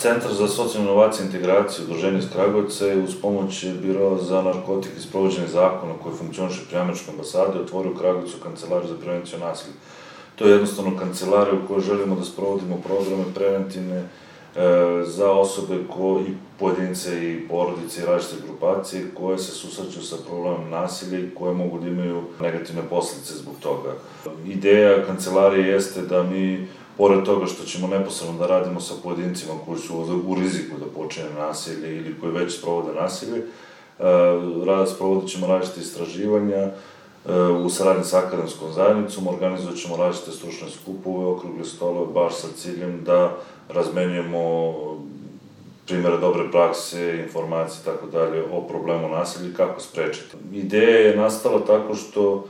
Centar za socijalnu inovaciju i integraciju, udruženje iz Kragujevca je uz pomoć Biroa za narkotike i sprovođenje zakona koji funkcioniše pri Američkoj ambasadi otvorio u Kragujevcu kancelariju za prevenciju nasilja. To je jednostavno kancelarija u kojoj želimo da sprovodimo programe preventivne za osobe i pojedince i porodice i različite grupacije koje se susreću sa problemom nasilja i koje mogu da imaju negativne posledice zbog toga. Ideja kancelarije jeste da mi, pored toga što ćemo neposredno da radimo sa pojedincima koji su u riziku da počine nasilje ili koji već sprovode nasilje, sprovodit ćemo različite istraživanja u saradnji sa akademskom zajednicom, organizovat ćemo različite stručne skupove, okrugle stolove, baš sa ciljem da razmenjujemo primere dobre prakse, informacije i tako dalje o problemu nasilja i kako sprečiti. Ideja je nastala tako što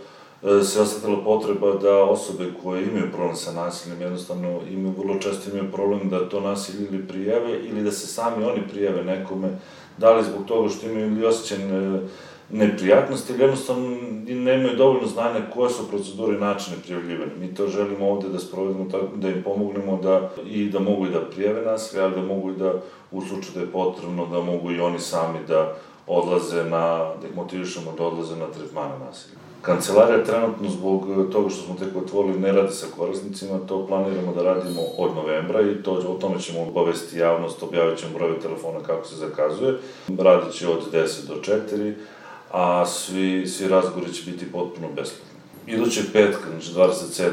se osetila potreba da osobe koje imaju problem sa nasiljem jednostavno vrlo često imaju problem da to nasilje ili prijave ili da se sami oni prijave nekome, da li zbog toga što imaju ili osjećaj neprijatnosti ili jednostavno nemaju dovoljno znanja koje su procedure i načine prijavljivanja. Mi to želimo ovde da sprovedemo tako da im pomognemo da mogu i da prijave nasilje, ali da mogu i da u slučaju da je potrebno da mogu i oni sami da odlaze da ih motivišemo da odlaze na tretmane nasilja. Kancelarija trenutno zbog toga što smo tek otvorili ne radi sa korisnicima, to planiramo da radimo od novembra i o tome ćemo obavesti javnost, objavit ćemo broj telefona kako se zakazuje. Radit će od 10 do 4, a svi razgovori će biti potpuno besplatni. Idućeg petka, znači 27.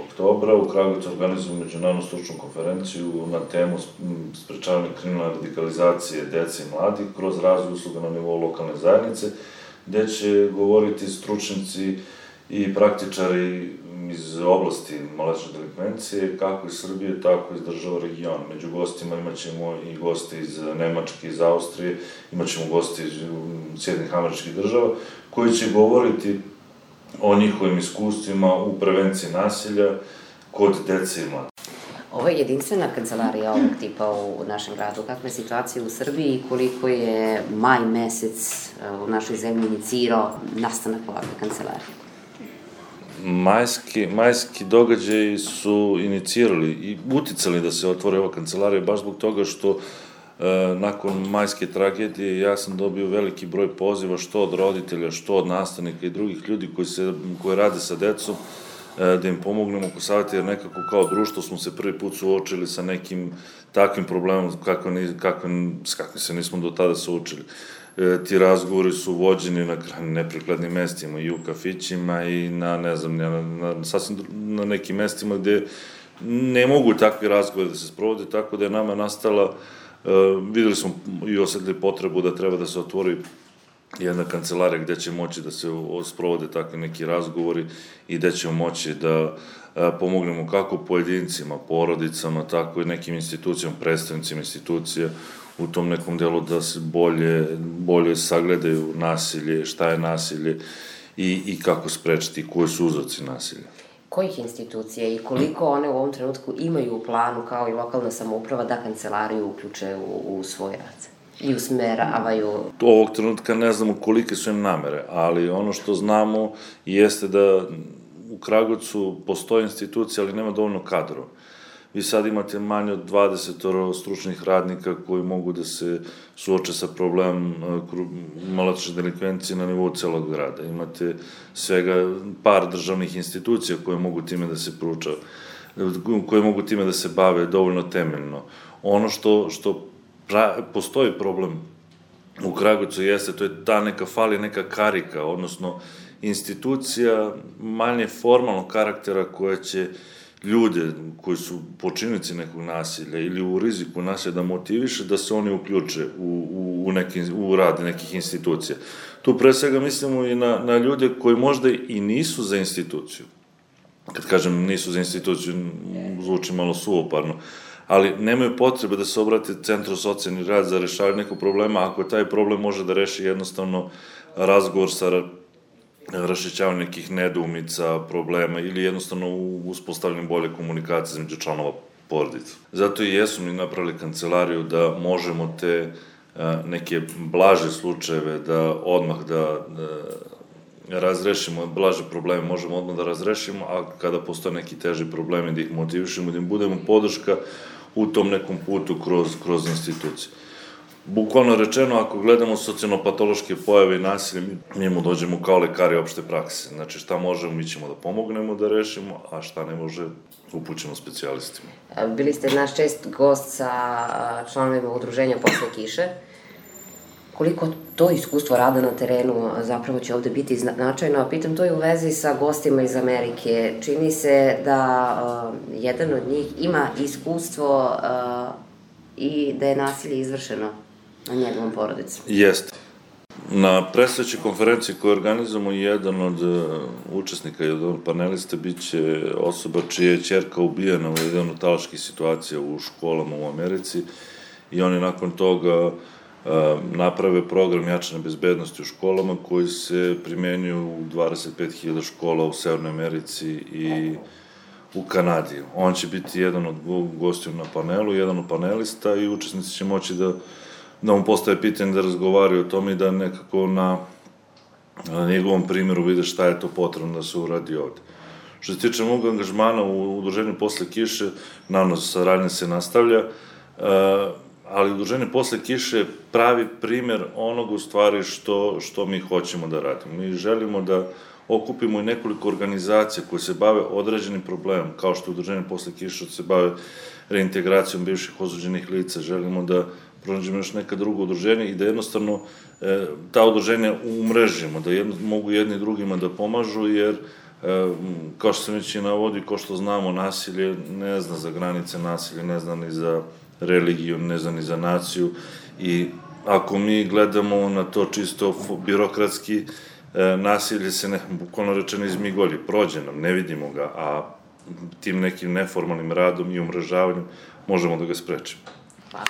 oktobra, u Kragujevcu organizujemo međunarodnu stručnu konferenciju na temu sprečavanja kriminalne radikalizacije dece i mladih kroz razvoj usluga na nivou lokalne zajednice, gde će govoriti stručnici i praktičari iz oblasti maloletničke delikvencije, kako iz Srbije, tako i iz država regiona. Među gostima imaćemo i goste iz Nemačke, iz Austrije, imaćemo goste iz Sjedinjenih Američkih Država, koji će govoriti o njihovim iskustvima u prevenciji nasilja kod dece i mladih. Ovo je jedinstvena kancelarija ovog tipa u našem gradu. Kakva je situacija u Srbiji i koliko je maj mesec u našoj zemlji inicirao nastanak ovakve kancelarije? Majski događaji su inicirali i uticali da se otvore ova kancelarija baš zbog toga što nakon majske tragedije ja sam dobio veliki broj poziva što od roditelja, što od nastavnika i drugih ljudi koji rade sa decom, da im pomognemo oko savjeta, jer nekako kao društvo smo se prvi put suočili sa nekim takvim problemom s kakvim se nismo do tada suočili. Ti razgovori su vođeni na neprikladnim mestima i u kafićima i na nekim mestima gde ne mogu takvi razgovori da se sprovode, tako da je nama nastala, videli smo i osetili potrebu da treba da se otvori jedna kancelarija gde će moći da se sprovode takvi neki razgovori i gde ćemo moći da pomognemo kako pojedincima, porodicama, tako i nekim institucijama, predstavnicima institucija u tom nekom delu da se bolje sagledaju nasilje, šta je nasilje i kako sprečiti, koji su uzroci nasilja. Kojih institucija i koliko one u ovom trenutku imaju u planu, kao i lokalna samouprava, da kancelariju uključe u svoj rad i usmeravaju? Ovog trenutka ne znamo kolike su im namere, ali ono što znamo jeste da u Kragujevcu postoje institucija, ali nema dovoljno kadrova. Vi sad imate manje od 20 stručnih radnika koji mogu da se suoče sa problemom maloletničke delikvencije na nivou celog grada. Imate svega par državnih institucija koje mogu time da se koje mogu time da se bave dovoljno temeljno. Ono što postoji problem u Kragujevcu jeste, to je ta neka karika, odnosno institucija manje formalnog karaktera koja će ljude koji su počinnici nekog nasilja ili u riziku nasilja da motiviše da se oni uključe u rad nekih institucija. Tu pre svega mislimo i na ljude koji možda i nisu za instituciju. Kad kažem nisu za instituciju, zvuči malo suvoparno, ali nemaju potrebe da se obrate Centru socijalni rad za rešavanje nekog problema, ako taj problem može da reši jednostavno razgovor sa raščišćavanje nekih nedoumica, problema ili jednostavno uspostavljanje bolje komunikacije između članova porodice. Zato i jesmo mi napravili kancelariju da možemo te neke blaže slučajeve da odmah da razrešimo, blaže probleme možemo odmah da razrešimo, a kada postoje neki teži problemi da ih motivišemo, da im budemo podrška u tom nekom putu kroz institucije. Bukvalno rečeno, ako gledamo socijalno-patološke pojave i nasilje, mi mu dođemo kao lekari opšte prakse. Znači, šta možemo, mi ćemo da pomognemo da rešimo, a šta ne može, upućemo specijalistima. Bili ste naš čest gost sa članovima udruženja Posle kiše. Koliko to iskustvo rada na terenu zapravo će ovde biti značajno, a pitam to i u vezi sa gostima iz Amerike. Čini se da jedan od njih ima iskustvo i da je nasilje izvršeno na njegovom porodicu. Jeste. Na predstojećoj konferenciji koju organizujemo, jedan od učesnika i od panelista biće osoba čija je ćerka ubijena u jednu od talačkih situacija u školama u Americi i oni nakon toga naprave program jačane bezbednosti u školama koji se primenjuju u 25.000 škola u Severnoj Americi i u Kanadi. On će biti jedan od gostiju na panelu, jedan od panelista i učesnici će moći da mu postave pitanje, da razgovaraju o tome i da nekako na njegovom primjeru vide šta je to potrebno da se uradi ovde. Što se tiče mog angažmana u udruženju Posle kiše, naravno saradnja se nastavlja, ali udruženje Posle kiše pravi primer onog u stvari što mi hoćemo da radimo. Mi želimo da okupimo i nekoliko organizacija koje se bave određenim problemom, kao što udruženje Posle kiše se bave reintegracijom bivših osuđenih lica. Želimo da pronađemo još neka druga udruženja i da jednostavno ta udruženja umrežimo, da mogu jedni drugima da pomažu, jer kao što sam već i navodio, kao što znamo, nasilje ne zna za granice, nasilje ne zna ni za religiju, ne zna ni za naciju i ako mi gledamo na to čisto birokratski, nasilje se bukvalno rečeno izmigolji, prođe nam, ne vidimo ga, a tim nekim neformalnim radom i umrežavanjem možemo da ga sprečimo. Hvala.